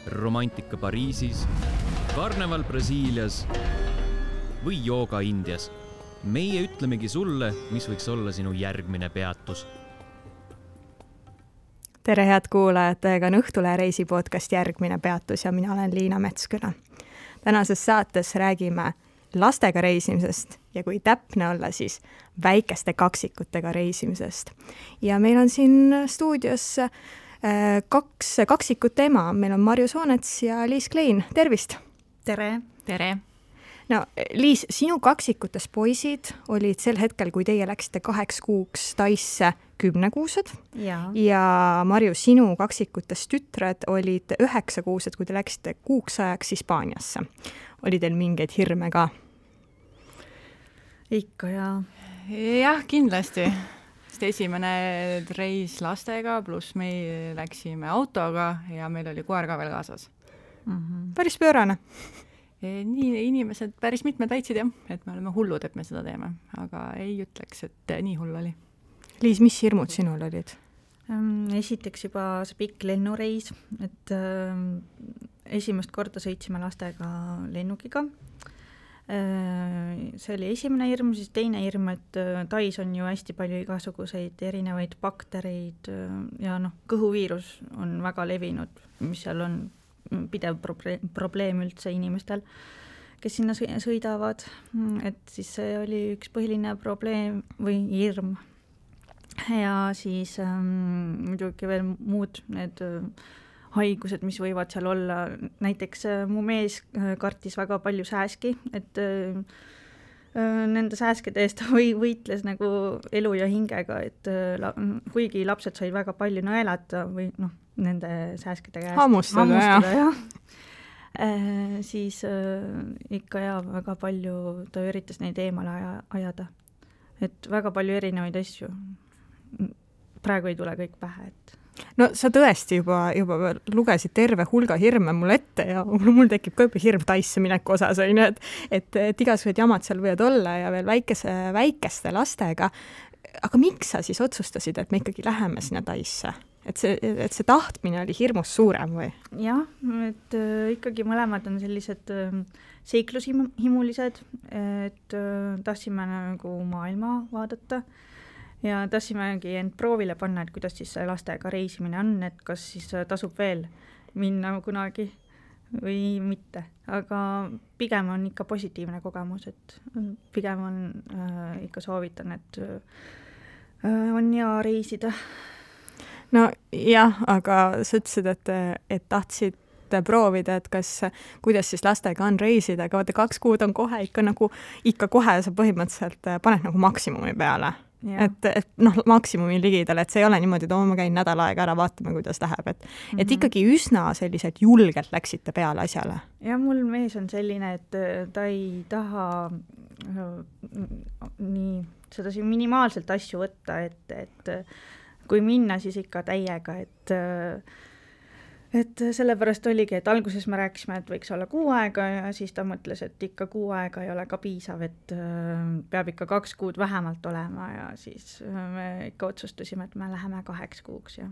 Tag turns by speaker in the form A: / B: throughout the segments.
A: romantika Pariisis, karneval Brasiilias või jooga Indias. Meie ütlemegi sulle, mis võiks olla sinu järgmine peatus.
B: Tere head kuulajad, teiega on Õhtulehe reisi podcast Järgmine peatus ja mina olen Liina Metsküla. Tänases saates räägime lastega reisimisest ja kui täpne olla, siis väikeste kaksikutega reisimisest. Ja meil on siin stuudios kaks kaksikut ema. Meil on Marju Soonets ja Liis Klein. Tervist!
C: Tere!
D: Tere!
B: No, Liis, sinu kaksikutes poisid olid sel hetkel, kui teie läksite 8 kuuks Taisse 10-kuused ja Marju, sinu kaksikutes tütred olid 9-kuused, kui te läksite kuuks ajaks Hispaaniasse. Oli teil mingeid hirme ka?
C: Ikka
D: Jah, kindlasti. Sest esimene reis lastega, pluss me läksime autoga ja meil oli koer ka veel kaasas.
B: Päris pöörane.
D: Nii inimesed, päris mitmed väitsid jah, et me oleme hullud, et me seda teeme, aga ei ütleks, et nii hull oli.
B: Liis, mis hirmud sinul olid?
C: Esiteks juba see pikk lennureis, et esimest korda sõitsime lastega lennukiga. See oli esimene hirm, siis teine hirm, et Tais on ju hästi palju igasuguseid erinevaid baktereid ja kõhuviirus on väga levinud, mis seal on pidev probleem üldse inimestel, kes sinna sõidavad, et siis see oli üks põhiline probleem või hirm. Ja siis muidugi veel muud need haigused, mis võivad seal olla. Näiteks mu mees kartis väga palju sääski, et nende sääskede eest võitles nagu elu ja hingega, et kuigi lapsed said väga palju naelata või nende sääskede käest
B: hammustada.
C: Siis ikka väga palju ta üritas neid eemale ajada. Et väga palju erinevaid asju. Praegu ei tule kõik pähe, et
B: no sa tõesti juba lugesid terve hulga hirme mul ette ja mul tekib ka juba hirm Taisse mineku osas, et igasugused jamad seal võivad olla ja veel väikeste lastega. Aga miks sa siis otsustasid, et me ikkagi läheme sinna Taisse? Et see tahtmine oli hirmus suurem või?
C: Jah, et ikkagi mõlemad on sellised seiklushimulised, et tahtsime nagu maailma vaadata ja tahtsimegi end proovile panna, et kuidas siis lastega reisimine on, et kas siis tasub veel minna kunagi või mitte. Aga pigem on ikka positiivne kogemus, et pigem on ikka soovitan, et on hea reisida.
B: No jah, aga sa ütlesid, et tahtsid proovida, et kuidas siis lastega on reisida, aga 2 kuud on kohe ikka kohe sa põhimõtteliselt paned nagu maksimumi peale. Et maksimumi ligidal, et see ei ole niimoodi, et ma käin nädal aega ära, vaatame, kuidas läheb. Et ikkagi üsna sellised julgelt läksite peale asjale.
C: Ja mul mees on selline, et ta ei taha seda minimaalselt asju võtta, et kui minna, siis ikka täiega, et sellepärast oligi, et alguses me rääkisime, et võiks olla 6 aega ja siis ta mõtles, et ikka 6 aega ei ole ka piisav, et peab ikka 2 kuud vähemalt olema ja siis me ikka otsustasime, et me läheme 8 kuuks. Ja.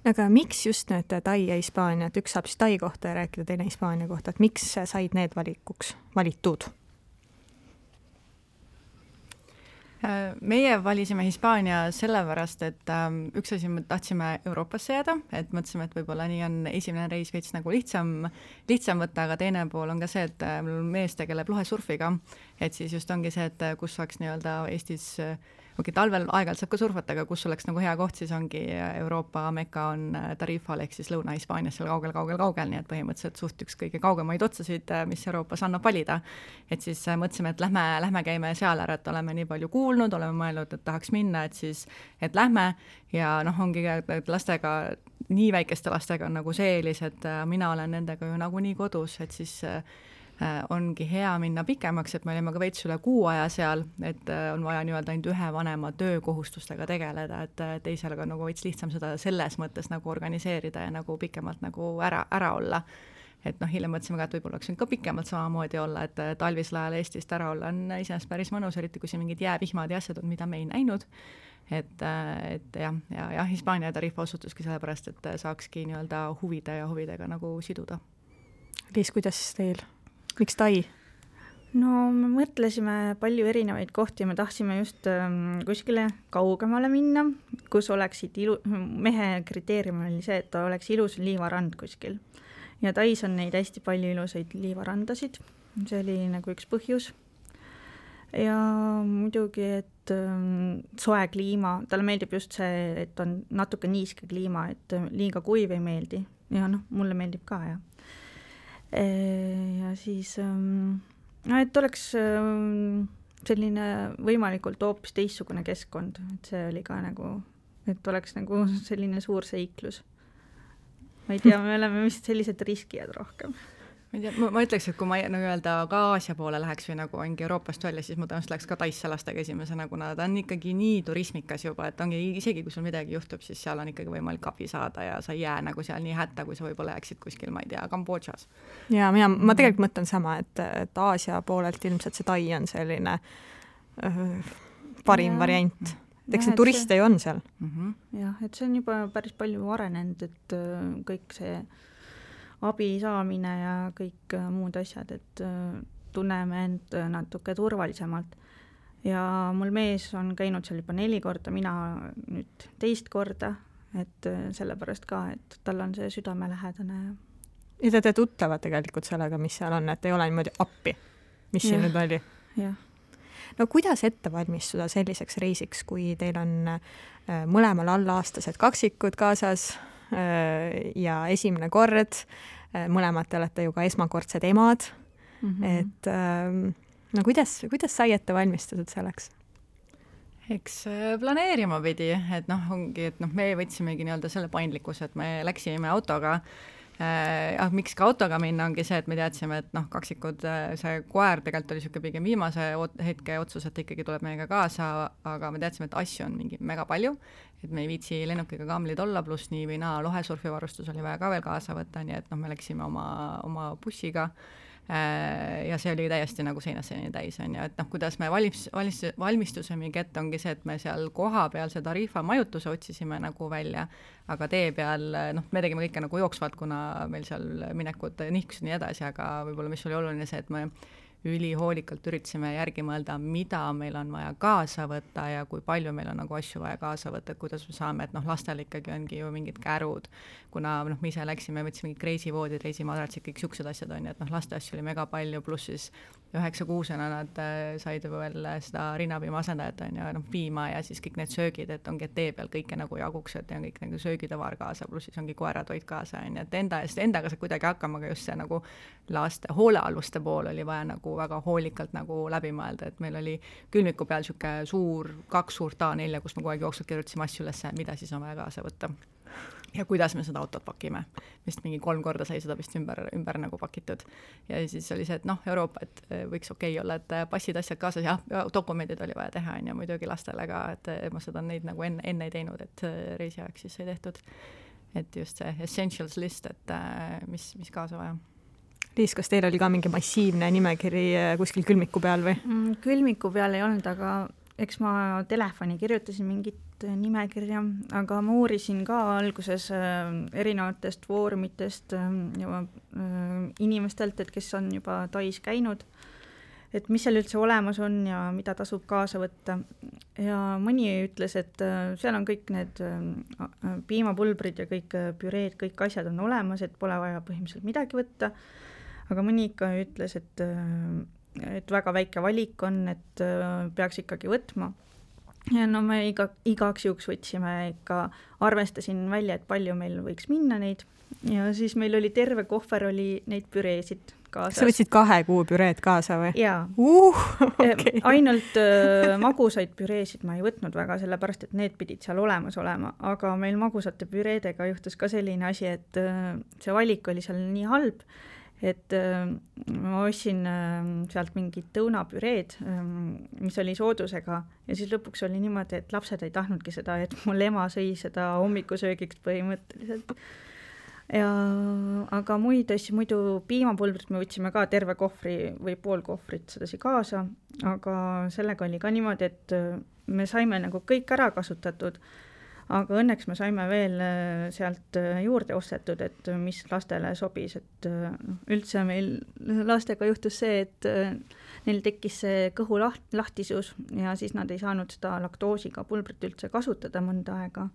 B: Aga miks just need Tai ja Hispaania, et üks saab siis Tai kohta ja rääkida, teine Hispaania kohta, et miks said need valitud?
D: Meie valisime Hispaania sellepärast, et üks asi me tahtsime Euroopasse jääda, et mõtlesime, et võib-olla nii on esimene reis veits nagu lihtsam võtta, aga teine pool on ka see, et mul mees tegeleb lohesurfiga, et siis just ongi see, et kus saaks nii-öelda Eestis talvel aeg-ajalt saab ka surfata, aga kus oleks nagu hea koht, siis ongi Euroopa Mekka on Tarifal, ehk siis Lõuna-Hispaanias seal kaugel, nii et põhimõtteliselt suht üks kõige kaugemaid otsasid, mis Euroopas annab valida. Et siis mõtlesime, et lähme käime seal ära, et oleme nii palju kuulnud, oleme mõelnud, et tahaks minna, et lähme ja ongi lastega, nii väikeste lastega on nagu see eelis, et mina olen nendega ju nagu nii kodus, et siis ongi hea minna pikemaks, et me olime ka veits üle 6 aja seal, et on vaja nii-öelda ainult ühe vanema töökohustustega tegeleda, et teisel on nagu veits lihtsam seda selles mõttes nagu organiseerida ja nagu pikemalt nagu ära olla. Et hiljem mõtlesime ka, et võib-olla oleks ka pikemalt samamoodi olla, et talvisel ajal Eestist ära olla on iseenesest päris mõnus, eriti kui siin mingid jäävihmad ja asjad on, mida me ei näinud. et jah, ja Hispaania tariif osutuski sellepärast, et saakski nii-öelda huvide ja huvidega nagu siduda.
B: Liis, kuidas teil? Miks Tai?
C: No me mõtlesime palju erinevaid kohti, me tahtsime just kuskile kaugemale minna, kus oleksid mehe kriteerium oli see, et ta oleks ilus liivarand kuskil. Ja Tais on neid hästi palju ilusaid liivarandasid, see oli nagu üks põhjus. Ja muidugi, et soe kliima, talle meeldib just see, et on natuke niiske kliima, et liiga kuiv ei meeldi. Ja mulle meeldib ka, ja. Ja siis, et oleks selline võimalikult hoopis teistsugune keskkond, et see oli ka nagu, et oleks nagu selline suur seiklus. Ma ei tea, me oleme vist sellised riskijad rohkem.
D: Ma ütleks, et kui ma nagu öelda ka Aasia poole läheks või nagu ongi Euroopast välja, siis ma tõenäoliselt läheks ka Taisse lastega esimesena, kuna ta on ikkagi nii turismikas juba, et ongi isegi kui sul midagi juhtub, siis seal on ikkagi võimalik abi saada ja sa ei jää nagu seal nii hätta, kui sa võib-olla jääksid kuskil, ma ei tea, Kambodžas.
B: Ja ma tegelikult mõtlen sama, et Aasia poolelt ilmselt see Tai on selline parim variant. Eks need turiste ju on seal.
C: Jah, et see on juba päris palju arenenud, et kõik see abi saamine ja kõik muud asjad, et tunneme end natuke turvalisemalt. Ja mul mees on käinud seal juba 4 korda, mina nüüd 2 korda, et sellepärast ka, et tal on see südamelähedane.
B: Ja te tuttavad tegelikult sellega, mis seal on, et ei ole niimoodi appi, mis siin nüüd oli.
C: Jah.
B: No kuidas ette valmistuda selliseks reisiks, kui teil on mõlemal allaaastased kaksikud kaasas ja esimene kord, mõlemad te olete ju ka esmakordsed emad, et no kuidas sai ette valmistatud selleks?
D: Eks planeerima pidi, et ongi, et me võtsimegi nii-öelda selle paindlikkuse, et me läksime autoga. Miks ka autoga minna ongi see, et me teadsime, et kaksikud, see koer tegelikult oli siuke pigem viimase hetke otsus, et ikkagi tuleb meiega kaasa, aga me teadsime, et asju on mingi mega palju, et me ei viitsi lennukiga kamlid olla, pluss nii või naa lohesurfivarustus oli vaja ka veel kaasa võtta, nii et me läksime oma bussiga ja see oli täiesti nagu seinaseni täis, on ju, et kuidas me valmistusemegi ette ongi see, et me seal koha peal see tariifa majutuse otsisime nagu välja, aga tee peal, me tegime kõike nagu jooksvalt, kuna meil seal minekud nihkusid nii edasi, aga võib-olla mis oli oluline see, et me ülihoolikalt üritasime järgi mõelda, mida meil on vaja kaasa võtta ja kui palju meil on nagu asju vaja kaasa võtta, et kuidas me saame, et lastel ikkagi ongi ju mingid kärud, kuna me ise läksime, võtsime mingid reisivoodid, reisimadratsid, kõik siuksed asjad on, et laste asju oli mega palju, pluss siis 9-6-na nad said veel seda rinnapiima asendajat on ja piima ja siis kõik need söögid, et ongi tee peal kõike nagu jaguks, et on kõik nagu söögitavar kaasa, pluss siis ongi koeratoit kaasa on, et endaga saab kuidagi hakkama, aga just see nagu laste hoolealuste pool oli vaja nagu väga hoolikalt nagu läbi mõelda, et meil oli külmiku peal siuke suur, 2 suurt A4, kus me kogu aeg jooksvalt kirjutasime asju ülesse, mida siis on vaja kaasa võtta. Ja kuidas me seda autot pakime. Vist mingi 3 korda sai seda vist ümber nagu pakitud. Ja siis oli see, et Euroopa, et võiks okei olla, et passid asjad kaasas ja dokumendid oli vaja teha ja muidugi lastele ka, et ma seda neid nagu enne ei teinud, et reisiaeg siis sai tehtud. Et just see essentials list, et mis kaasa vaja.
B: Liis, kas teil oli ka mingi massiivne nimekiri kuskil külmiku peal või?
C: Külmiku peal ei olnud, aga eks ma telefoni kirjutasin mingit nimekirja, aga ma uurisin ka alguses erinevatest foorumitest ja inimestelt, et kes on juba Tais käinud, et mis seal üldse olemas on ja mida tasub kaasa võtta. Ja mõni ütles, et seal on kõik need piimapulbrid ja kõik püreed, kõik asjad on olemas, et pole vaja põhimõtteliselt midagi võtta. Aga mõni ikka ütles, et väga väike valik on, et peaks ikkagi võtma. Ja me igaks juhuks võtsime ikka, arvestasin välja, et palju meil võiks minna neid. Ja siis meil oli terve kohver oli neid püreesid kaasas.
B: Sa võtsid 2 kuu püreed kaasa või?
C: Jaa.
B: Okay.
C: Ainult magusaid püreesid ma ei võtnud väga, sellepärast, et need pidid seal olemas olema. Aga meil magusate püreedega juhtus ka selline asi, et see valik oli seal nii halb, et ma ostsin sealt mingid tõunapüreed, mis oli soodusega ja siis lõpuks oli niimoodi, et lapsed ei tahtnudki seda, et mul ema sõi seda hommikusöögiks põhimõtteliselt. aga muid asju, muidu piimapulbrit me võtsime ka terve kohvri või pool kohvrit sedasi kaasa, aga sellega oli ka niimoodi, et me saime nagu kõik ära kasutatud, aga õnneks me saime veel sealt juurde ostetud, et mis lastele sobis, et üldse meil lastega juhtus see, et neil tekkis see kõhu lahtisus ja siis nad ei saanud seda laktoosiga pulbrit üldse kasutada mõnda aega.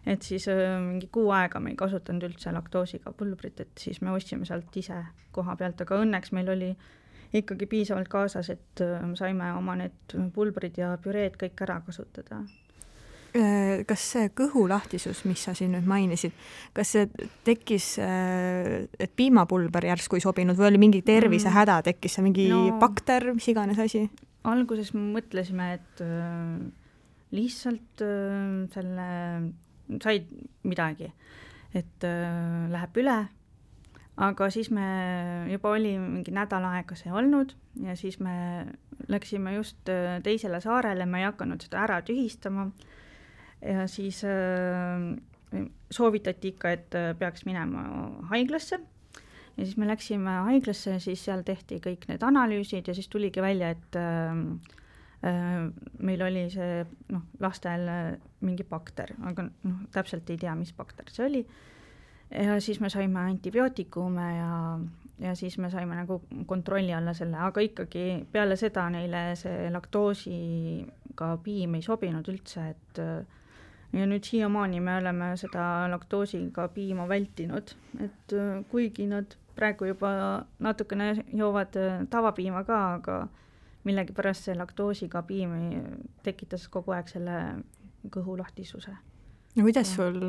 C: Et siis mingi 6 aega me ei kasutanud üldse laktoosiga pulbrit, et siis me ostsime sealt ise koha pealt, aga õnneks meil oli ikkagi piisavalt kaasas, et saime oma need pulbrid ja püreed kõik ära kasutada.
B: Kas see kõhulahtisus, mis sa siin nüüd mainisid, kas see tekkis, et piimapulber järsku ei sobinud või oli mingi tervisehäda, tekkis see mingi bakter, mis iganes asi?
C: Alguses mõtlesime, et lihtsalt selle said midagi, et läheb üle, aga siis me juba oli mingi nädal aega see olnud ja siis me läksime just teisele saarele, me ei hakanud seda ära tühistama ja siis soovitati ikka, et peaks minema haiglasse ja siis me läksime haiglasse ja siis seal tehti kõik need analüüsid ja siis tuligi välja, et meil oli see lastel mingi bakter, aga täpselt ei tea, mis bakter see oli. Ja siis me saime antibiootikume ja siis me saime nagu kontrolli alla selle, aga ikkagi peale seda neile see laktoosiga piim ei sobinud üldse, et ja nüüd siiamaani me oleme seda laktoosiga piima vältinud, et kuigi nad praegu juba natukene joovad tavapiima ka, aga millegipärast see laktoosiga piim tekitas kogu aeg selle kõhulahtisuse.
B: No kuidas sul,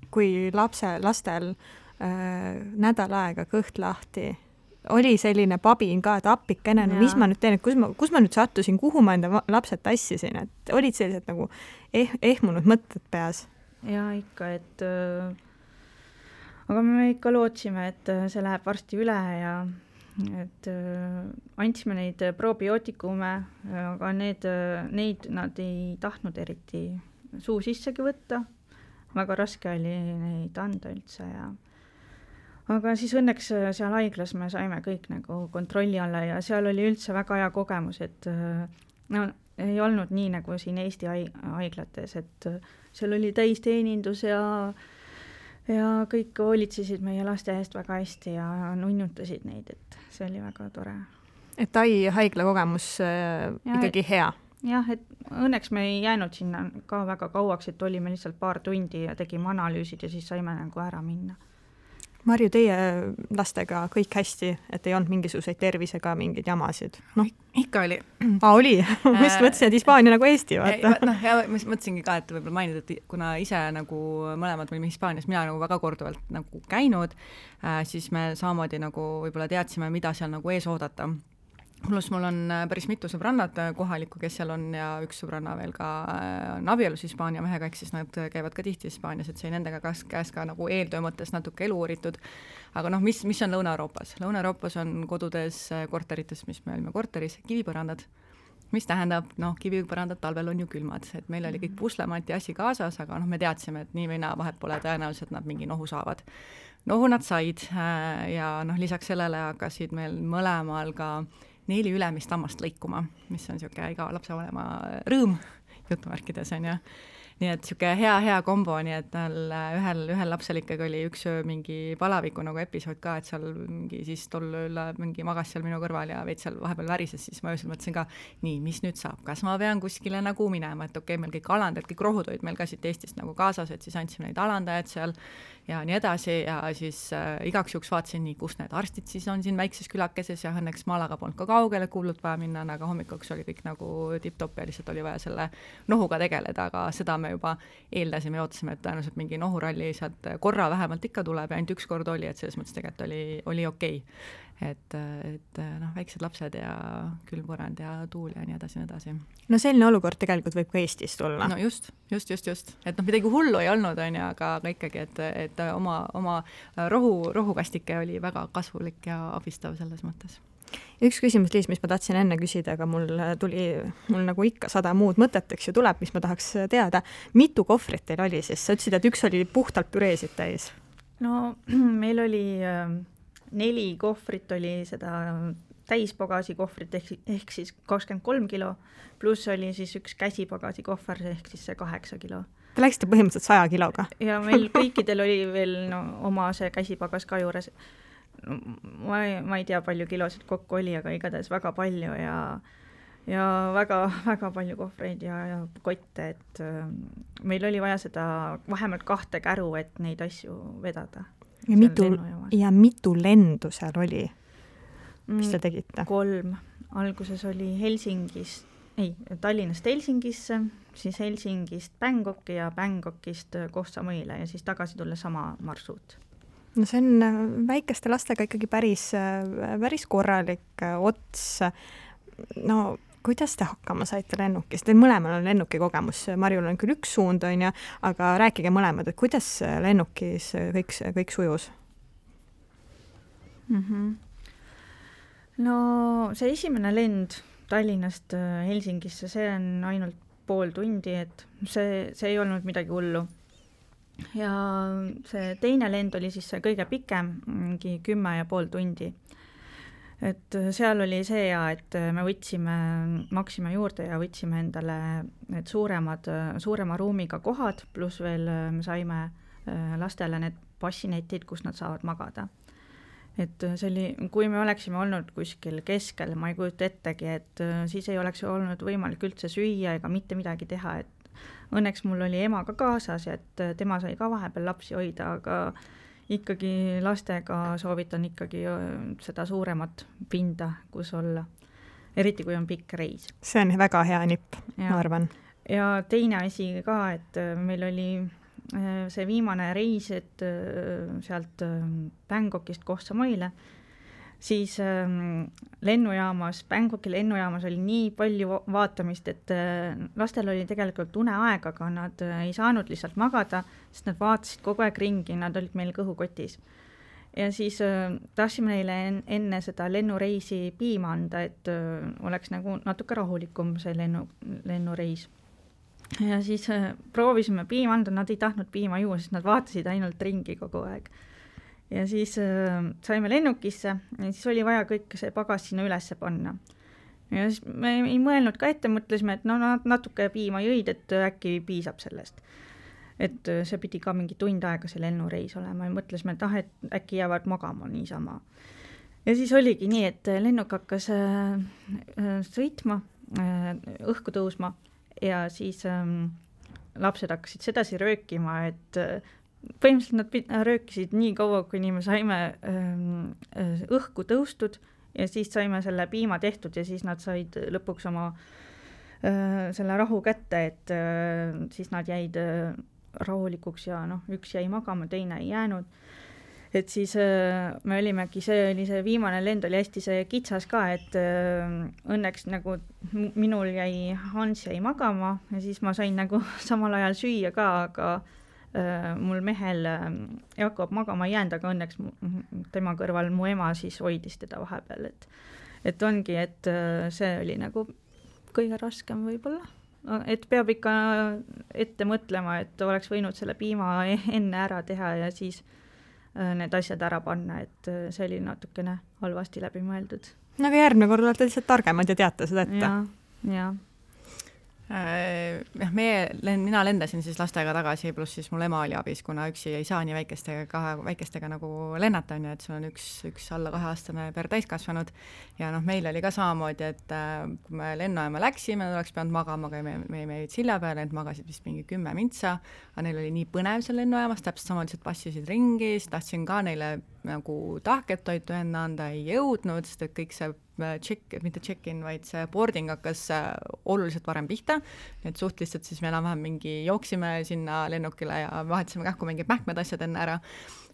B: kui lastel nädal aega kõht lahti, oli selline pabin ka, et appikene, no mis ma nüüd teen, et kus ma nüüd sattusin, kuhu ma enda lapsed tassisin, et olid sellised nagu ehmunud mõtted peas?
C: Ja ikka, et aga me ikka lootsime, et see läheb varsti üle ja et andsime neid probiootikume, aga neid nad ei tahtnud eriti suu sissegi võtta. Väga raske oli neid anda üldse ja aga siis õnneks seal haiglas me saime kõik nagu kontrolli alla ja seal oli üldse väga hea kogemus, et ei olnud nii nagu siin Eesti haiglates, et seal oli täisteenindus ja kõik hoolitsesid meie laste eest väga hästi ja nunnutasid neid, et see oli väga tore.
B: Et Tai haigla kogemus ikkagi hea?
C: Jah, et õnneks me ei jäänud sinna ka väga kauaks, et olime lihtsalt paar tundi ja tegime analüüsid ja siis saime nagu ära minna.
B: Marju, teie lastega kõik hästi, et ei olnud mingisuguseid tervisega mingeid jamasid?
D: Ikka oli.
B: Oli? Ma just mõtlesin, et Hispaania nagu Eesti, vaata.
D: Ja ma mõtlesingi ka, et võib-olla mainida, et kuna ise nagu mõlemad olime Hispaanias, mina nagu väga korduvalt nagu käinud, siis me samamoodi nagu võib-olla teadsime, mida seal nagu ees oodata. Plus mul on päris mitu sõbrannad kohalikku, kes seal on ja üks sõbranna veel ka on abielus Hispaania mehega, ehk siis nad käivad ka tihti Hispaanias, et sai nendega käes ka nagu eeltöö mõttes natuke elu uuritud. Aga mis on Lõuna-Euroopas? Lõuna-Euroopas on kodudes, korterites, mis me olime korteris, kivipõrandad, mis tähendab, kivipõrandad talvel on ju külmad, et meil oli kõik puslemati asi kaasas, aga me teadsime, et nii või naa vahet pole tõenäoliselt nad mingi nohu saavad. Nohu nad said ja lisaks sellele hakkasid meil mõlemal ka 4 ülemist hammast lõikuma, mis on niisugune iga lapsevanema rõõm jutumärkides on ju. Nii et niisugune hea kombo, nii et ühel lapsel ikkagi oli üks mingi palaviku nagu episood ka, et seal mingi siis tol mingi magas seal minu kõrval ja veid seal vahepeal värises, siis ma öösel mõtlesin ka, nii, mis nüüd saab, kas ma pean kuskile nagu minema, et okei, meil kõik alandajad, kõik rohud olid meil ka siit Eestist nagu kaasas, et siis andsime neid alandajad seal ja nii edasi ja siis igaks juhuks vaatasin nii, kus need arstid siis on siin väikses külakeses ja õnneks Malaga polnud ka kaugele kuulnud vaja minna, aga hommikuks oli kõik nagu tipp-topp ja lihtsalt oli vaja selle nohuga tegeleda, aga seda me juba eeldasime ja ootasime, et tõenäoliselt mingi nohuralli sealt korra vähemalt ikka tuleb ja ainult üks kord oli, et selles mõttes tegelikult oli okei. Et väiksed lapsed ja külmpõrand ja tuul ja nii edasi.
B: No selline olukord tegelikult võib ka Eestis tulla.
D: No just. Et midagi hullu ei olnud, on ju, aga ikkagi, et oma rohukastike oli väga kasvulik ja abistav selles mõttes.
B: Üks küsimus, Liis, mis ma tahtsin enne küsida, aga mul nagu ikka 100 muud mõtet, eks ju tuleb, mis ma tahaks teada. Mitu kohvrit teil oli siis? Sa ütlesid, et üks oli puhtalt püreesid täis.
C: no meil oli 4 kohvrit, oli seda täispagasi kohvrit ehk siis 23 kilo, pluss oli siis üks käsipagasi kohver ehk siis see 8 kilo.
B: Te läksite põhimõtteliselt 100 kiloga?
C: Ja meil kõikidel oli veel oma see käsipagas ka juures. Ma ei tea, palju kilosid kokku oli, aga igatahes väga palju ja väga palju kohvreid ja kotte, et meil oli vaja seda vähemalt 2 käru, et neid asju vedada.
B: Ja mitu lendu seal oli? Mis te tegite?
C: 3. Alguses oli Tallinnast Helsingisse, siis Helsingist Bangkoki ja Bangkokist Koh Samuile ja siis tagasi tulla sama marsruut.
B: No see on väikeste lastega ikkagi päris korralik ots. No kuidas te hakkama saite lennukis? Teil mõlemal on lennuki kogemus. Marjul on küll üks suund, aga rääkige mõlemad, et kuidas lennukis kõik sujus?
C: No see esimene lend Tallinnast Helsingisse, see on ainult pool tundi, et see ei olnud midagi hullu. Ja see teine lend oli siis see kõige pikem, mingi 10,5 tundi. Et seal oli see et me maksime juurde ja võtsime endale need suurema ruumiga kohad, pluss veel me saime lastele need bassinetid, kus nad saavad magada. Et see oli, kui me oleksime olnud kuskil keskel, ma ei kujuta ettegi, et siis ei oleks olnud võimalik üldse süüa ega mitte midagi teha, et õnneks mul oli ema ka kaasas, et tema sai ka vahepeal lapsi hoida, aga ikkagi lastega soovitan ikkagi seda suuremat pinda, kus olla, eriti kui on pikk reis.
B: See on väga hea nipp, ma arvan.
C: Ja teine asi ka, et meil oli see viimane reis, et sealt Bangkokist Koh Samuile, siis Bangkoki lennujaamas oli nii palju vaatamist, et lastel oli tegelikult uneaeg, aga nad ei saanud lihtsalt magada, sest nad vaatasid kogu aeg ringi, nad olid meil kõhukotis. Ja siis tahtsime neile enne seda lennureisi piima anda, et oleks nagu natuke rahulikum see lennureis. Ja siis proovisime piima anda, nad ei tahtnud piima juua, sest nad vaatasid ainult ringi kogu aeg. Ja siis saime lennukisse ja siis oli vaja kõik see pagas sinna ülesse panna. Ja siis me ei mõelnud ka ette, mõtlesime, et natuke piima jõid, et äkki piisab sellest. Et see pidi ka mingi tund aega see lennureis olema ja mõtlesime, et äkki jäävad magama niisama. Ja siis oligi nii, et lennuk hakkas sõitma, õhku tõusma ja siis lapsed hakkasid sedasi röökima, et põhimõtteliselt nad röökisid nii kaua, kuni me saime õhku tõustud ja siis saime selle piima tehtud ja siis nad said lõpuks oma selle rahu kätte, et siis nad jäid rahulikuks ja üks jäi magama, teine ei jäänud. Et siis me olimegi, see oli see viimane lend, oli hästi see kitsas ka, et õnneks nagu minul Hans jäi magama ja siis ma sain nagu samal ajal süüa ka, aga mul mehel Jakob magama ei jäänud, aga õnneks tema kõrval mu ema siis hoidis teda vahepeal, et ongi, et see oli nagu kõige raskem võib-olla. Et peab ikka ette mõtlema, et oleks võinud selle piima enne ära teha ja siis need asjad ära panna, et see oli natukene halvasti läbi mõeldud.
B: Aga järgmine kord olete lihtsalt targemad ja teate seda ette.
C: Ja.
D: Mina lendasin siis lastega tagasi, pluss siis mul ema oli abis, kuna üksi ei saa nii väikestega nagu lennata, et sul on üks alla 2-aastane per täiskasvanud ja meil oli ka samamoodi, et kui me lennujaama läksime, nad oleks pidanud magama, aga me jäid silja peale, need magasid vist mingi 10 mintsa, aga neil oli nii põnev seal lennujaamas, täpselt samaliselt passisid ringi, siis tahtsin ka neile nagu tahketoitu enne anda, ei jõudnud, sest et kõik see mitte check-in, vaid see boarding hakkas oluliselt varem pihta, et suht lihtsalt siis me enam-vähem mingi jooksime sinna lennukile ja vahetasime kähku mingid mähkmed asjad enne ära,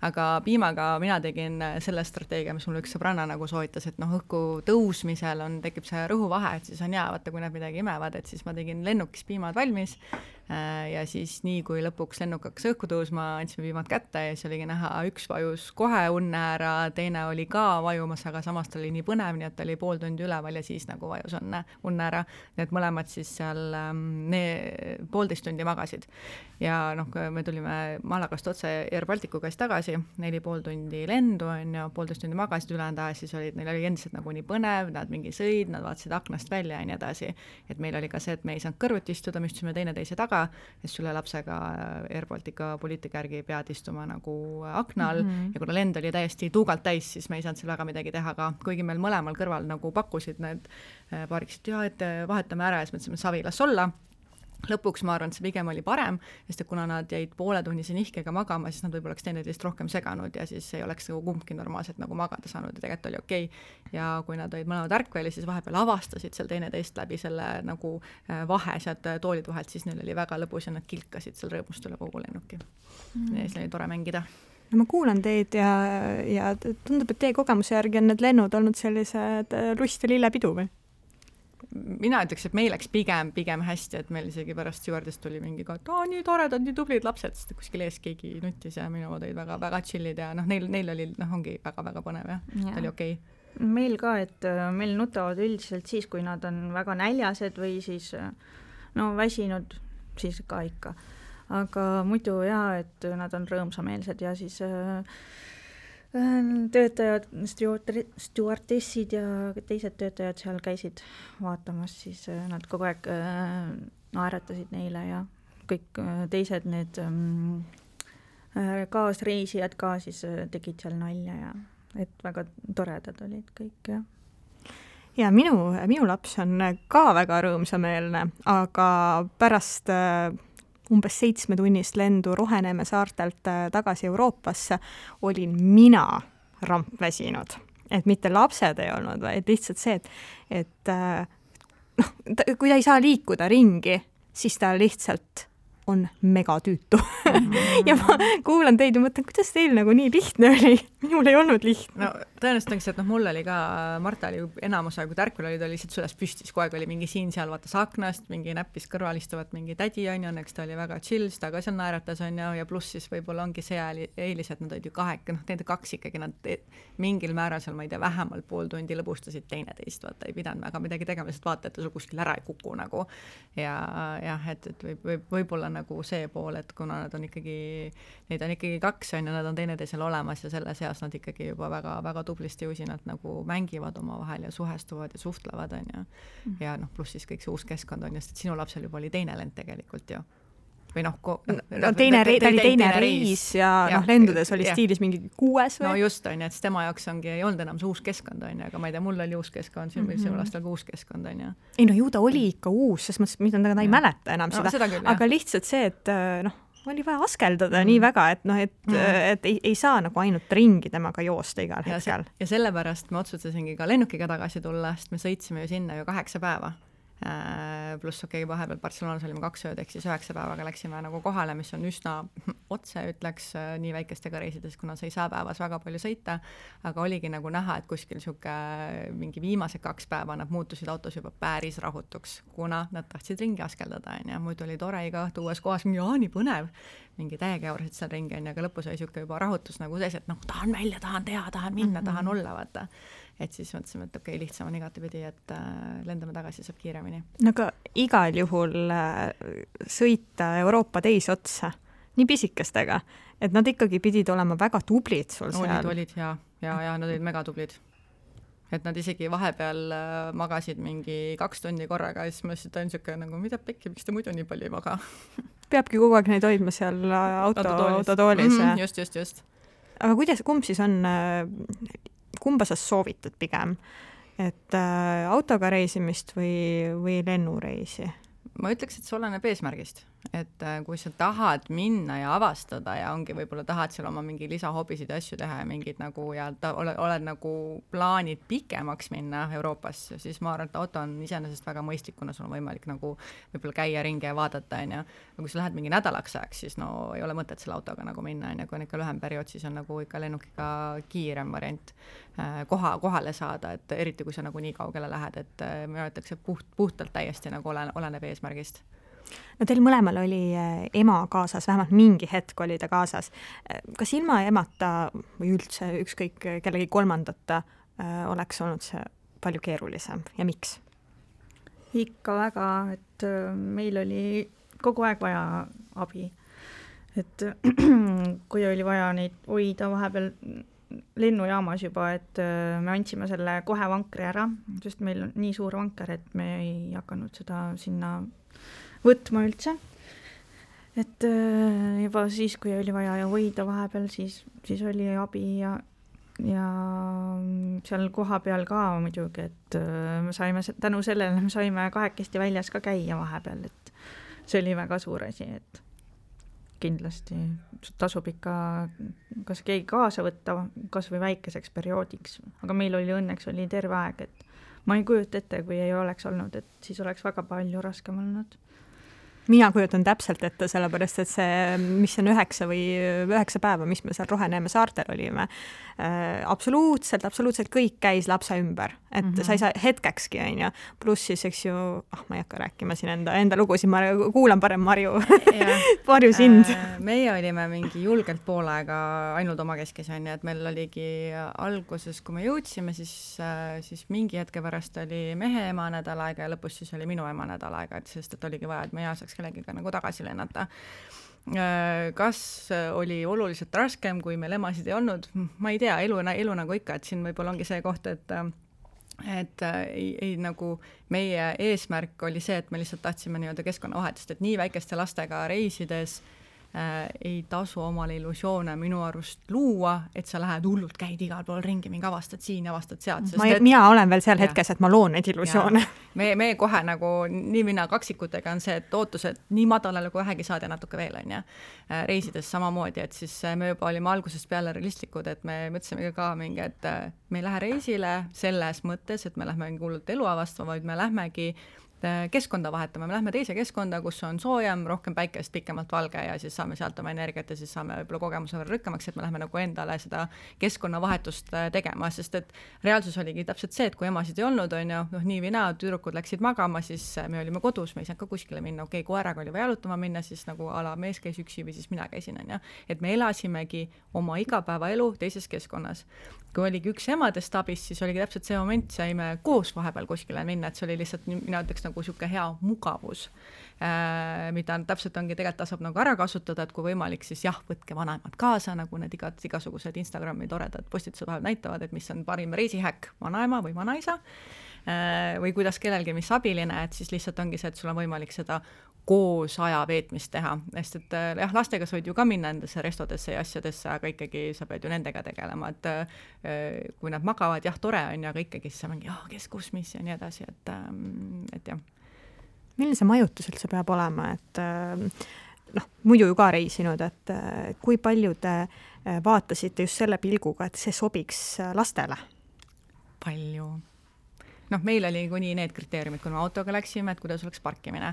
D: aga piimaga mina tegin selle strateegia, mis mul üks sõbranna nagu soovitas, et õhku tõusmisel tekib see rõhuvahe, et siis on hea, vaata, kui nad midagi imevad, et siis ma tegin lennukis piimad valmis, ja siis nii, kui lõpuks lennuk hakkas õhku tõusma, andsime viimad kätte ja siis oligi näha, üks vajus kohe unne ära, teine oli ka vajumas, aga samas ta oli nii põnev, nii et ta oli pool tundi üleval ja siis nagu vajus unne ära. Nii et mõlemad siis seal 1,5 tundi magasid. Ja noh, me tulime Malagast otse Air Balticu käest tagasi, 4,5 tundi lendu on ja 1,5 tundi magasid ülejäänud aja, siis neil oli endiselt nagu nii põnev, nad mingi sõid, nad vaatasid aknast välja ja nii edasi. Et meil oli ka see, et me ei saanud kõrvuti istuda, me istusime teineteise taga, et sulle lapsega Air Baltica poliitika järgi pead istuma nagu aknal ja kuna lend oli täiesti tuugalt täis, siis me ei saanud seal väga midagi teha, aga kuigi meil mõlemal kõrval nagu pakkusid need paariksid, et vahetame ära ja siis mõtlesime, savi las olla. Lõpuks ma arvan, et see pigem oli parem, sest et kuna nad jäid pooletunnise nihkega magama, siis nad võib-olla oleks teineteist rohkem seganud ja siis ei oleks nagu kumbki normaalselt nagu magada saanud ja tegelikult oli okei. Ja kui nad olid mõlemad ärkveli, siis vahepeal avastasid seal teineteist läbi selle nagu vahe sealt toolid vahelt, siis neil oli väga lõbus ja nad kilkasid seal rõõmust üle kogu lennuki. Ja siis oli tore mängida.
B: No ma kuulan teid ja tundub, et teie kogemuse järgi on need lennud olnud sellised lust ja lillepidu või?
D: Mina ütleks, et meil läks pigem hästi, et meil isegi pärast stjuardist tuli mingi ka, et nii toredad, nii tublid lapsed, sest kuskil ees keegi nutis ja minu olid väga chillid ja neil oli, ongi väga põnev ja ta oli okei.
C: Meil ka, et meil nutavad üldiselt siis, kui nad on väga näljased või siis väsinud, siis ka ikka. Aga muidu et nad on rõõmsameelsed ja siis töötajad, stjuardessid ja teised töötajad seal käisid vaatamas, siis nad kogu aeg naeratasid neile ja kõik teised need kaasreisijad ka siis tegid seal nalja ja et väga toredad olid kõik ja.
B: Ja minu laps on ka väga rõõmsameelne, aga pärast umbes 7-tunnist lendu Roheneeme saartelt tagasi Euroopasse olin mina rampväsinud. Et mitte lapsed ei olnud, vaid lihtsalt see, et kui ta ei saa liikuda ringi, siis ta lihtsalt on megatüütu. Ja ma kuulan teid ja mõtlen, kuidas teil nagu nii lihtne oli? Minul ei olnud lihtne.
D: No tõenäoliselt, et mul oli ka, Marta oli enamus aega, kui tärkvel oli, ta lihtsalt süles püstis, kogu aeg oli mingi siin-seal vaatas aknast, mingi näppis kõrval istuvat mingi tädi on, õnneks ta oli väga chill, ta ka seal naeratas on ja pluss siis võib-olla ongi see eelis, et nad olid ju nende kaks ikkagi, nad mingil määral seal, ma ei tea, vähemalt pool tundi lõbustasid teineteist, vaata, ei pidanud väga midagi tegema, lihtsalt vaata, et ta sul kuskil ära ei kuku nagu. Ja et võib-olla nagu see pool, et kuna neid on ikkagi kaks on ja nad on teineteisel olemas ja selle seas nad ikkagi juba väga tublisti usinalt nagu mängivad omavahel ja suhestuvad ja suhtlevad on ja pluss siis kõik see uus keskkond on just, et sinu lapsel juba oli teine lend tegelikult ju. Või
B: teine reis ja lendudes oli stiilis mingi 6 või?
D: No just on, et tema jaoks ei olnud enam see uus keskkond on, aga ma ei tea, mul oli uus keskkond, sinu lastel ka uus keskkond on.
B: Ei ju ta oli ikka uus, sest mõttes, ta ei mäleta enam seda, aga lihtsalt see, et oli vaja askeldada nii väga, et ei saa nagu ainult ringi temaga joosta igal hetkel.
D: Ja sellepärast me otsustasingi ka lennukiga tagasi tulla, sest me sõitsime ju sinna 8 päeva. Pluss vahepeal Barcelonas olime 2 ööd, ehk siis 9 päevaga läksime nagu kohale, mis on üsna otse, ütleks nii väikestega reisides, kuna sa ei saa päevas väga palju sõita, aga oligi nagu näha, et kuskil mingi viimased 2 päeva nad muutusid autos juba päris rahutuks, kuna nad tahtsid ringi askeldada ja muidu oli tore iga õhtu uues kohas, nii põnev, mingi täiega jaurasid seal ringi aga lõpus oli juba rahutus nagu sees, et tahan välja, tahan teha, tahan minna, tahan olla, vaata. Et siis mõtlesime, et okei, lihtsam on igatepidi, et lendame tagasi, saab kiiremini.
B: No aga igal juhul sõita Euroopa teisotsa nii pisikestega, et nad ikkagi pidid olema väga tublid sul seal.
D: Olid ja nad olid mega tublid. Et nad isegi vahepeal magasid mingi 2 tundi korraga ja siis ma ütlesin, et nagu, mida pekki, miks te muidu nii palju ei maga?
B: Peabki kogu aeg neid hoidma seal autotoolis.
D: Just.
B: Aga kumb siis on, kumba sa soovitad pigem, et autoga reisimist või lennureisi?
D: Ma ütleks, et see oleneb eesmärgist, et kui sa tahad minna ja avastada ja ongi võib-olla tahad seal oma mingi lisahobisid ja asju teha ja mingid nagu ja oled nagu plaanid pikemaks minna Euroopasse, siis ma arvan, et auto on iseenesest väga mõistlik, kuna sul on võimalik nagu võib-olla käia ringi ja vaadata ja kui sa lähed mingi nädalaks ajaks, siis ei ole mõtet selle autoga nagu minna ja kui on ikka lühem periood, siis on nagu ikka lennukiga kiirem variant kohale saada, et eriti kui sa nagu nii kaugele lähed, et ma ütleks, et puhtalt täiesti nagu oleneb eesmärgist.
B: No teil mõlemal oli ema kaasas, vähemalt mingi hetk oli ta kaasas. Kas ilma emata või üldse ükskõik kellegi kolmandata oleks olnud see palju keerulisem ja miks?
C: Ikka väga, et meil oli kogu aeg vaja abi. Et kui oli vaja neid hoida vahepeal lennujaamas juba, et me andsime selle kohe vankri ära, sest meil on nii suur vanker, et me ei hakanud seda sinna võtma üldse. Et juba siis, kui oli vaja hoida vahepeal, siis oli abi ja seal koha peal ka muidugi, et me saime tänu sellele, me saime kahekesti väljas ka käia vahepeal, et see oli väga suur asi, et kindlasti tasub ikka kas keegi kaasa võtta, kas või väikeseks perioodiks, aga meil oli õnneks oli terve aeg, et ma ei kujuta ette, kui ei oleks olnud, et siis oleks väga palju raskem olnud.
B: Mina kujutan täpselt ette, sellepärast, et see, mis on 9 päeva, mis me seal Roheneeme saartel olime, absoluutselt kõik käis lapse ümber, et sa ei saa hetkekski, on ju, pluss siis, eks ju, ma ei hakka rääkima siin enda lugusid, ma kuulan parem Marju sind.
D: Meie olime mingi julgelt pool aega ainult omakeskis, on ju, et meil oligi alguses, kui me jõudsime, siis mingi hetke pärast oli mehe ema nädal aega ja lõpus siis oli minu ema nädal aega, et sest et oligi vaja, et meie saaks kellegiga nagu tagasi lennata. Kas oli oluliselt raskem, kui meil emasid ei olnud? Ma ei tea, elu nagu ikka, et siin võib-olla ongi see koht, et ei nagu meie eesmärk oli see, et me lihtsalt tahtsime nii-öelda keskkonnavahetust, et nii väikeste lastega reisides ei tasu omale illusioone minu arust luua, et sa lähed hullult, käid igal pool ringi, mingi avastad siin, avastad sealt.
B: Mina olen veel seal hetkes, et ma loon neid illusioone.
D: Me kohe nagu, nii mina kaksikutega on see, et ootused nii madalale kui vähegi saada natuke veel, on ja reisides samamoodi, et siis me juba olime algusest peale realistlikud, et me mõtlesime ka mingi, et me ei lähe reisile selles mõttes, et me lähme hullult elu avastama, vaid me lähmegi keskkonda vahetama, me lähme teise keskkonda, kus on soojem, rohkem päikest, pikemalt valge ja siis saame sealt oma energiat ja siis saame võib-olla kogemuse võrra rõkkamaks, et me lähme nagu endale seda keskkonnavahetust tegema, sest et reaalsus oligi täpselt see, et kui emasid ei olnud, on ju, nii või naa, tüdrukud läksid magama, siis me olime kodus, me ei saanud ka kuskile minna, okei, koeraga oli vaja jalutama minna, siis nagu ala mees käis üksi või siis mina käisin, on ju, et me elasimegi oma igapäevaelu teises keskkonnas. Kui oligi üks emadest abis, siis oligi täpselt see moment, saime koos vahepeal kuskile minna, et see oli lihtsalt, mina ütleks nagu siuke hea mugavus, mida täpselt ongi tegelikult tasub nagu ära kasutada, et kui võimalik, siis jah, võtke vanaemad kaasa, nagu need igasugused Instagrami toredad postitused vahel näitavad, et mis on parim reisihäkk, vanaema või vanaisa, või kuidas kellelgi mis abiline, et siis lihtsalt ongi see, et sul on võimalik seda koos aja veetmist teha, sest et jah, lastega sa võid ju ka minna nendesse restodesse ja asjadesse, aga ikkagi sa pead ju nendega tegelema, et kui nad magavad, jah, tore on, aga ikkagi siis sa mingi, kes, kus, mis ja nii edasi, et jah.
B: Milline see majutus üldse peab olema, et muidu ju ka reisinud, et kui palju te vaatasite just selle pilguga, et see sobiks lastele?
D: Palju. Meil oli kuni need kriteeriumid, kui me autoga läksime, et kuidas oleks parkimine.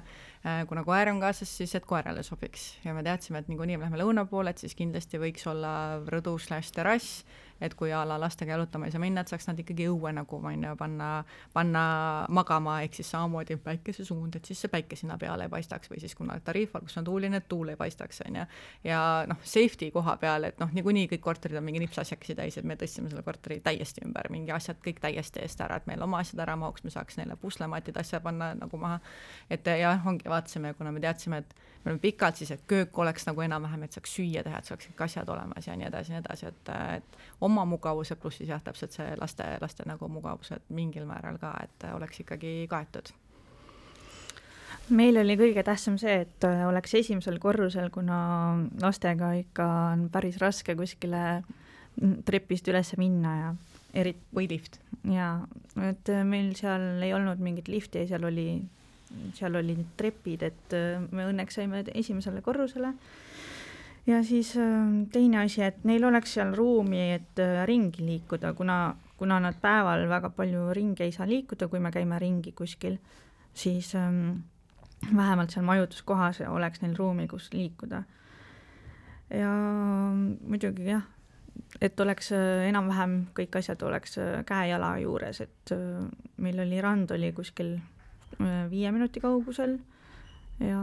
D: Kuna koer on kaasas, siis et koerale sobiks. Ja me teadsime, et nii me lähme lõuna poole, et siis kindlasti võiks olla rõdu/terrass, et kui ala lastega jalutama ei saa minna, et saaks nad ikkagi õue nagu panna magama, ehk siis samamoodi päikese suund, et siis see päike sinna peale ei paistaks või siis kuna tariifal, kus on tuuline, et tuul ei paistaks. Ja safety koha peal, et niikuinii kõik korterid on mingi nipsasjakesi täis, et me tõstsime selle korteri täiesti ümber, mingi asjad kõik täiesti eest ära, et meil oma asjad ära mahuks, me saaks neile puslematid asja panna nagu maha, et ja ongi vaatasime, kuna me teadsime, et me oleme pikalt siis, et köök oleks nagu enam-vähem, et saaks süüa teha, et saaks kõik asjad olemas ja nii edasi, et oma mugavuse pluss siis jah, täpselt see laste nagu mugavused mingil määral ka, et oleks ikkagi kaetud.
C: Meil oli kõige tähtsam see, et oleks esimesel korrusel, kuna lastega ikka on päris raske kuskile trepist üles minna ja
D: või lift.
C: Ja, et meil seal ei olnud mingit lifti, seal oli trepid, et me õnneks saime esimesele korrusele. Ja siis teine asi, et neil oleks seal ruumi, et ringi liikuda, kuna nad päeval väga palju ringi ei saa liikuda, kui me käime ringi kuskil, siis vähemalt seal majutuskohas oleks neil ruumi, kus liikuda. Ja muidugi jah, et oleks enam-vähem kõik asjad oleks käe-jala juures, et meil oli rand oli kuskil 5 minuti kaugusel ja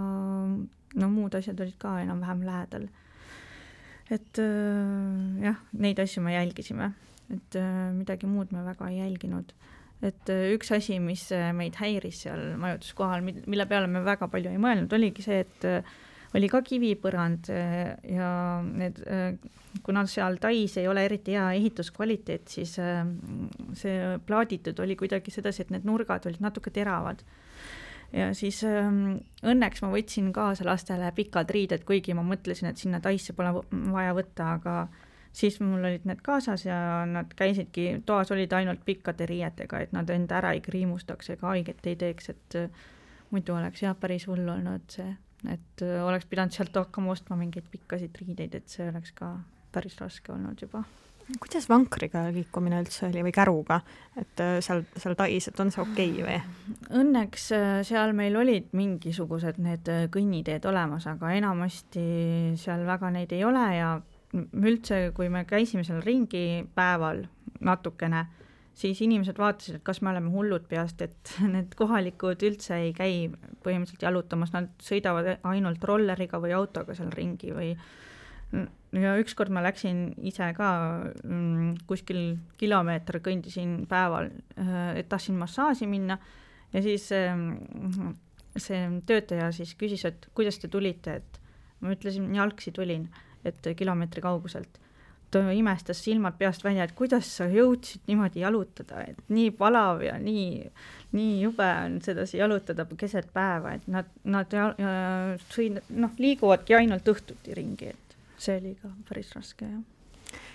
C: no muud asjad olid ka enam-vähem lähedal. Et jah, neid asju me jälgisime, et midagi muud me väga ei jälginud. Et üks asi, mis meid häiris seal majutuskohal, mille peale me väga palju ei mõelnud, oligi see, et oli ka kivipõrand ja need, kuna seal Tais ei ole eriti hea ehituskvaliteet, siis see plaaditud oli kuidagi sedasi, et need nurgad olid natuke teravad. Ja siis õnneks ma võtsin kaasa lastele pikad riided, kuigi ma mõtlesin, et sinna Taisse pole vaja võtta, aga siis mul olid need kaasas ja nad käisidki, toas olid ainult pikkade riietega, et nad enda ära ei kriimustaks ega haiget ei teeks, et muidu oleks jah päris hull olnud see. Et oleks pidanud sealt hakkama ostma mingeid pikkasid riideid, et see oleks ka päris raske olnud juba.
B: Kuidas vankriga liikumine üldse oli või käruga, et seal Tais, et on see okei või?
C: Õnneks seal meil olid mingisugused need kõnniteed olemas, aga enamasti seal väga neid ei ole ja üldse, kui me käisime seal ringi päeval natukene, siis inimesed vaatasid, et kas me oleme hullud peast, et need kohalikud üldse ei käi põhimõtteliselt jalutamas, nad sõidavad ainult rolleriga või autoga seal ringi või ja ükskord ma läksin ise ka kuskil kilomeeter kõndisin päeval, et tahtsin massaaži minna ja siis see töötaja siis küsis, et kuidas te tulite, et ma ütlesin, jalgsi tulin, et kilomeetri kauguselt. Ta imestas silmad peast välja, et kuidas sa jõudsid niimoodi jalutada, et nii palav ja nii jube on sedasi jalutada keset päeva, et nad liiguvadki ainult õhtuti ringi, et see oli ka päris raske, jah.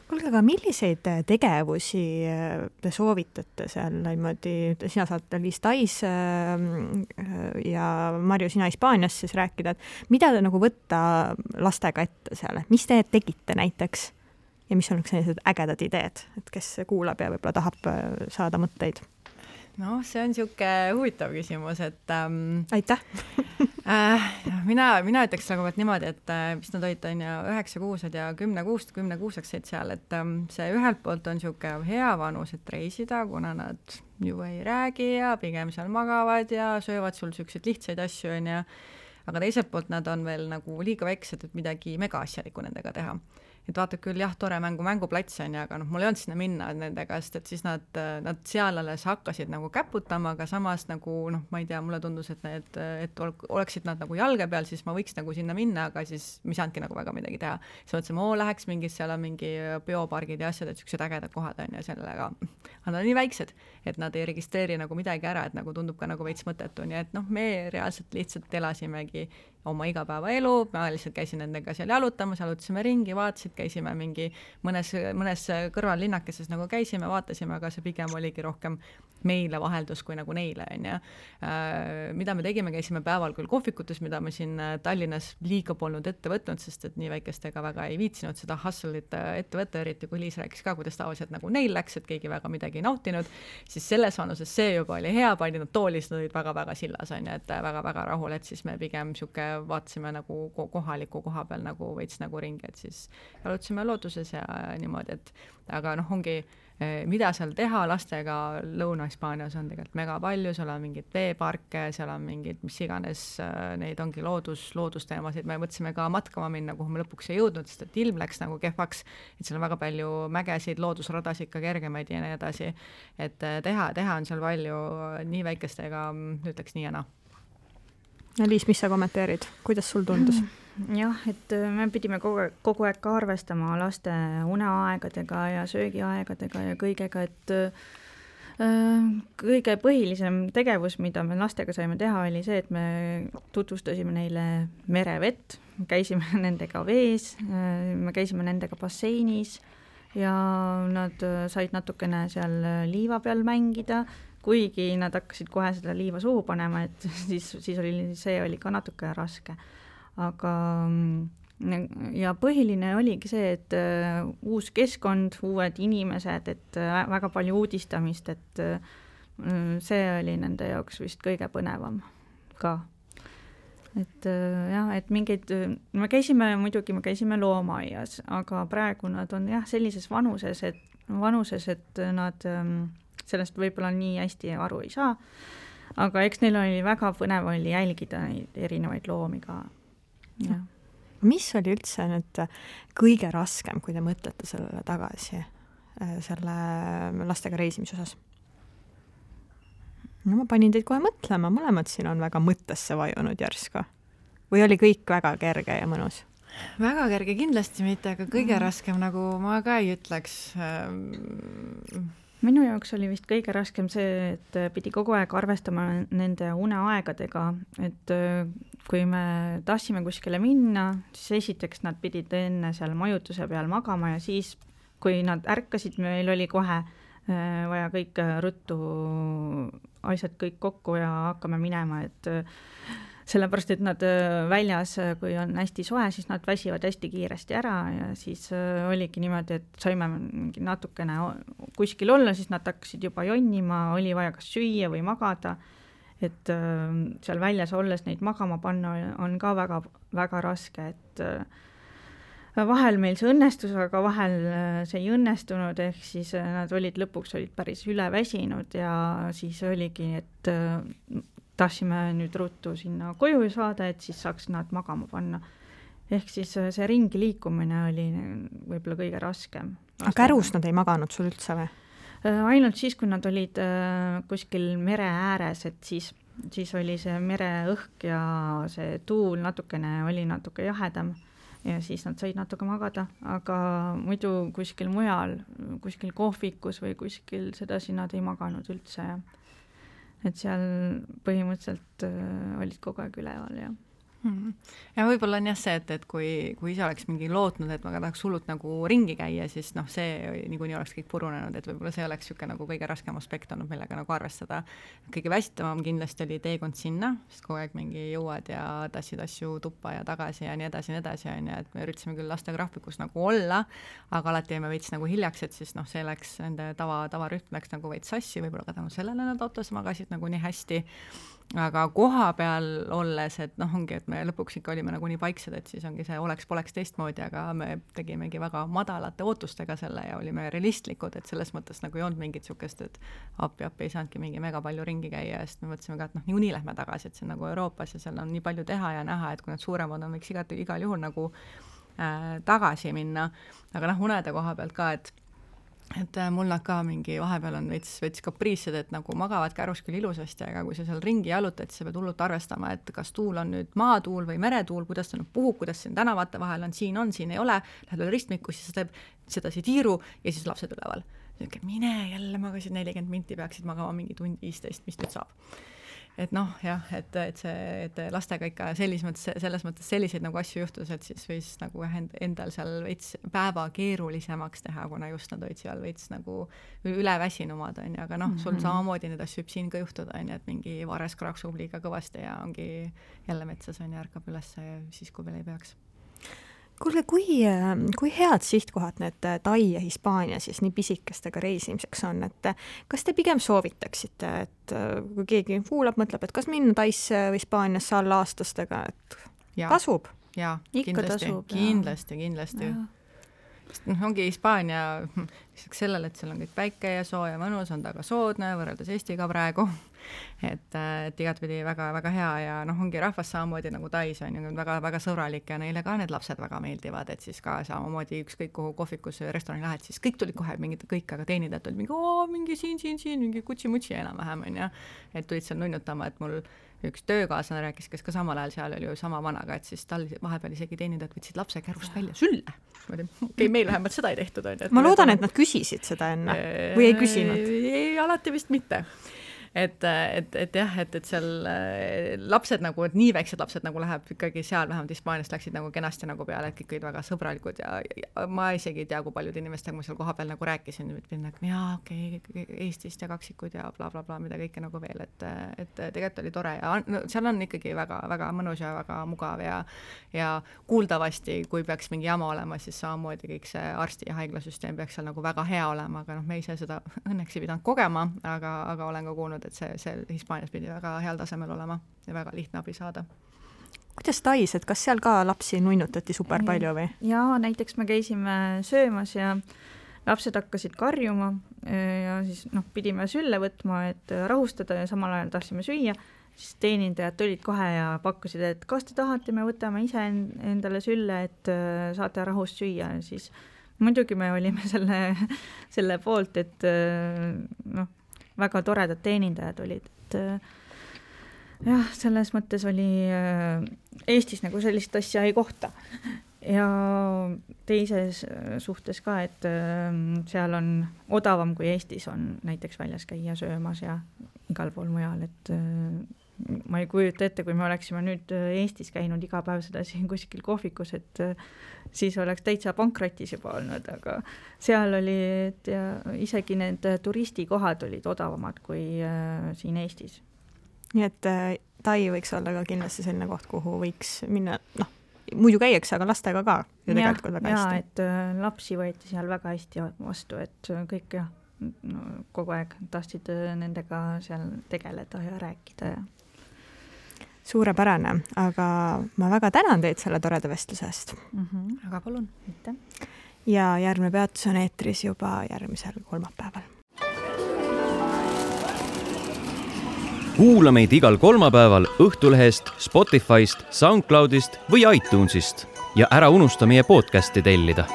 B: Kuulge, aga milliseid tegevusi te soovitate seal niimoodi, sina saad Liis Tais ja Marju, sina Hispaanias siis rääkida, et mida te nagu võtta lastega ette seal, mis te tegite näiteks? Ja mis on sellised ägedad ideed, et kes kuulab ja võib-olla tahab saada mõtteid?
D: No, see on siuke huvitav küsimus, et
B: aitäh!
D: mina ütleks nagu niimoodi, et mis nad olid 9-kuused ja 10-kuuseks said seal, et see ühelt poolt on siuke hea vanus, et reisida, kuna nad ju ei räägi ja pigem seal magavad ja söövad sul siukseid lihtsaid asju, aga teiselt poolt nad on veel nagu liiga väiksed, et midagi megaasjalikku nendega teha. Et vaata küll, jah, tore mänguplats on, aga mul ei olnud sinna minna nendega, sest siis nad seal alles hakkasid nagu käputama, aga samas nagu, ma ei tea, mulle tundus, et oleksid nad nagu jalge peal, siis ma võiks nagu sinna minna, aga siis mis andki nagu väga midagi teha. Siis mõtlesime, läheks seal on mingi biopargid ja asjad, et siuksed ägedad kohad on ja sellega. Aga nad on nii väiksed, et nad ei registreeri nagu midagi ära, et nagu tundub ka nagu veits mõttetu, nii et me reaalselt lihtsalt elasimegi oma igapäevaelu, ma lihtsalt käisin nendega seal jalutamas, jalutasime ringi, vaatasid, käisime mingi mõnes kõrval linnakeses nagu käisime, vaatasime, aga see pigem oligi rohkem meile vaheldus kui nagu neile, on ja. Mida me tegime, käisime päeval küll kohvikutes, mida me siin Tallinnas liiga polnud ette võtnud, sest et nii väikestega väga ei viitsinud seda hustle'it ette võtta, eriti kui Liis rääkis ka, kuidas tavaliselt nagu neil läks, et keegi väga midagi ei nautinud, siis selles vanuses see juba oli hea, paljud toolis, nad olid väga-väga sillas, on ja, et väga-väga rahul, et siis me pigem siuke vaatasime nagu kohaliku koha peal nagu veits nagu ringi, et siis jalutasime looduses ja niimoodi, et aga ongi, mida seal teha lastega Lõuna-Hispaanias on tegelikult mega palju, seal on mingid veeparke, seal on mingid, mis iganes, neid ongi loodusteemasid, me mõtlesime ka matkama minna, kuhu me lõpuks ei jõudnud, sest et ilm läks nagu kehvaks, et seal on väga palju mägesid, loodusradasid ka kergemaid ja nii edasi, et teha on seal palju nii väikestega, ütleks nii ja naa.
B: Ja Liis, mis sa kommenteerid? Kuidas sul tundus?
C: Jah, et me pidime kogu aeg ka arvestama laste uneaegadega ja söögiaegadega ja kõigega, et kõige põhilisem tegevus, mida me lastega saime teha, oli see, et me tutvustasime neile merevett, käisime nendega vees, me käisime nendega basseinis ja nad said natukene seal liiva peal mängida, kuigi nad hakkasid kohe seda liiva suhu panema, et siis oli ka natuke raske. Aga ja põhiline oligi see, et uus keskkond, uued inimesed, et väga palju uudistamist, et see oli nende jaoks vist kõige põnevam ka. Et jah, et mingeid, me käisime loomaaias, aga praegu nad on jah sellises vanuses, et nad sellest võib-olla nii hästi aru ei saa, aga eks neil oli väga põnev oli jälgida neid erinevaid loomi ka. Ja.
B: Mis oli üldse nüüd kõige raskem, kui te mõtlete sellele tagasi, selle lastega reisimise osas? No ma panin teid kohe mõtlema, mõlemad siin on väga mõttesse vajunud järsku. Või oli kõik väga kerge ja mõnus?
D: Väga kerge kindlasti mitte, aga kõige raskem, nagu ma ka ei ütleks.
C: Minu jaoks oli vist kõige raskem see, et pidi kogu aeg arvestama nende uneaegadega, et kui me tahtsime kuskile minna, siis esiteks nad pidid enne seal majutuse peal magama ja siis, kui nad ärkasid, meil oli kohe vaja kõik ruttu asjad kõik kokku ja hakkame minema, et sellepärast, et nad väljas, kui on hästi soe, siis nad väsivad hästi kiiresti ära ja siis oligi niimoodi, et saime natukene kuskil olla, siis nad hakkasid juba jonnima, oli vaja kas süüa või magada, et seal väljas olles neid magama panna on ka väga, väga raske, et vahel meil see õnnestus, aga vahel see ei õnnestunud, ehk siis nad lõpuks olid päris üleväsinud ja siis oligi, et tahtsime nüüd ruttu sinna koju saada, et siis saaks nad magama panna. Ehk siis see ringi liikumine oli võib-olla kõige raskem.
B: Aga kärus nad ei maganud sul üldse või?
C: Ainult siis, kui nad olid kuskil mere ääres, et siis oli see mereõhk ja see tuul oli natuke jahedam. Ja siis nad said natuke magada, aga muidu kuskil mujal, kuskil kohvikus või kuskil sedasi nad ei maganud üldse. Et seal põhimõtteliselt olid kogu aeg üleval. Ja.
D: Ja võib-olla on jah see, et kui ise oleks mingi lootnud, et ma tahaks hullult nagu ringi käia, siis see niikuinii oleks kõik purunenud, et võib-olla see oleks siuke nagu kõige raskem aspekt olnud, millega nagu arvestada. Kõige väsitavam kindlasti oli teekond sinna, sest kogu aeg mingi jõuad ja tassid asju tuppa ja tagasi ja nii edasi, et me üritasime küll lastegraafikus nagu olla, aga alati jäime veits nagu hiljaks, et siis see läks, nende tavarühm läks nagu veits sassi, võib-olla ka tänu sellele nad autos magasid nagu nii hästi. Aga koha peal olles, et ongi, et me lõpuks ikka olime nagu nii paiksed, et siis ongi see oleks-poleks teistmoodi, aga me tegimegi väga madalate ootustega selle ja olime realistlikud, et selles mõttes nagu ei olnud mingit sukest, et appi ei saanudki mingi mega palju ringi käia, sest me mõtlesime ka, et niikuinii lähme tagasi, et see on nagu Euroopas ja seal on nii palju teha ja näha, et kui need suuremad on, võiks igal juhul nagu tagasi minna. Aga unede koha pealt ka, et mul nad ka mingi vahepeal on veits kapriised, et nagu magavad kärus küll ilusasti, aga kui sa seal ringi jalutad, siis sa pead hullult arvestama, et kas tuul on nüüd maatuul või meretuul, kuidas ta nüüd puhub, kuidas siin tänavate vahel on, siin ei ole, lähed veel ristmikus, siis sa teeb sedasi tiiru ja siis lapsed üleval. Mine jälle magasid 40 minti, peaksid magama mingi tund 15, mis nüüd saab. Et jah, et lastega ikka selles mõttes selliseid nagu asju juhtus, et siis võis nagu endal seal veits päeva keerulisemaks teha, kuna just nad olid seal veits nagu üleväsinumad, aga sul samamoodi need asju võib siin ka juhtuda, et mingi vares kraksub liiga kõvasti ja ongi jälle metsas ärkab üles siis, kui veel ei peaks.
B: Kuulge, kui head sihtkohad need Tai ja Hispaania siis nii pisikestega reisimiseks on, et kas te pigem soovitaksite, et kui keegi kuulab, mõtleb, et kas minna Taisse või Hispaaniasse alla aastastega, et tasub?
D: Jaa,
C: ikka tasub.
D: Kindlasti. Ongi Hispaania lisaks sellele, et seal on kõik päike ja soo ja mõnus, on ta ka soodne võrreldes Eestiga praegu, et igatpidi väga, väga hea ja ongi rahvas samamoodi nagu Tais on väga, väga sõbralik ja neile ka need lapsed väga meeldivad, et siis ka samamoodi ükskõik kuhu kohvikus või restorani lähed, siis kõik tulid kohe mingid kõik, aga teenindajad olid mingi siin, mingi kutsi-mutsi enam-vähem on ja et tulid seal nunnutama, et mul üks töökaaslane rääkis, kes ka samal ajal seal oli ju sama vanaga, et siis tal vahepeal isegi teenindajad võtsid lapse kärust välja sülle. Okei, meil vähemalt seda ei tehtud.
B: Ma loodan, et nad küsisid seda enne või ei küsinud?
D: Ei, alati vist mitte. Et jah, et seal lapsed nagu, et nii väiksed lapsed nagu läheb ikkagi seal, vähemalt Hispaaniast läksid nagu kenasti nagu peale, et kõik olid väga sõbralikud ja ma isegi ei tea, kui paljud inimestega ma seal koha peal nagu rääkisin, et jaa, okei, Eestist ja kaksikud ja bla, mida kõike nagu veel, et tegelikult oli tore ja seal on ikkagi väga, väga mõnus ja väga mugav ja kuuldavasti, kui peaks mingi jama olema, siis samamoodi kõik see arsti ja haiglasüsteem peaks seal nagu väga hea olema, aga me ise seda õnneks ei pidanud kogema, aga olen ka kuulnud, et see Hispaanias pidi väga heal tasemel olema ja väga lihtne abi saada.
B: Kuidas Tais, et kas seal ka lapsi nunnutati super palju või?
C: Jaa, näiteks me käisime söömas ja lapsed hakkasid karjuma ja siis pidime sülle võtma, et rahustada ja samal ajal tahtsime süüa, siis teenindajad tulid kohe ja pakkusid, et kas te tahate, me võtame ise endale sülle, et saate rahust süüa, siis muidugi me olime selle poolt, et väga toredad teenindajad olid, et jah, selles mõttes oli Eestis nagu sellist asja ei kohta. Ja teises suhtes ka, et seal on odavam kui Eestis on näiteks väljas käia söömas ja igal pool mujal, et ma ei kujuta ette, kui me oleksime nüüd Eestis käinud iga päev seda siin kuskil kohvikus, et siis oleks täitsa pankrotis juba olnud, aga seal oli, et isegi need turistikohad olid odavamad kui siin Eestis.
B: Nii et Tai võiks olla ka kindlasti selline koht, kuhu võiks minna, muidu käiakse, aga lastega ka ju tegelikult väga hästi.
C: Et lapsi võeti seal väga hästi vastu, et kõik kogu aeg tahtsid nendega seal tegeleda ja rääkida ja
B: suurepärane, aga ma väga tänan teid selle toreda vestluse eest.
D: Aga palun.
B: Ja järgmine peatus on eetris juba järgmisel kolmapäeval.
A: Kuula meid igal kolmapäeval Õhtulehest, Spotifyst, SoundCloudist või iTunesist ja ära unusta meie podcasti tellida.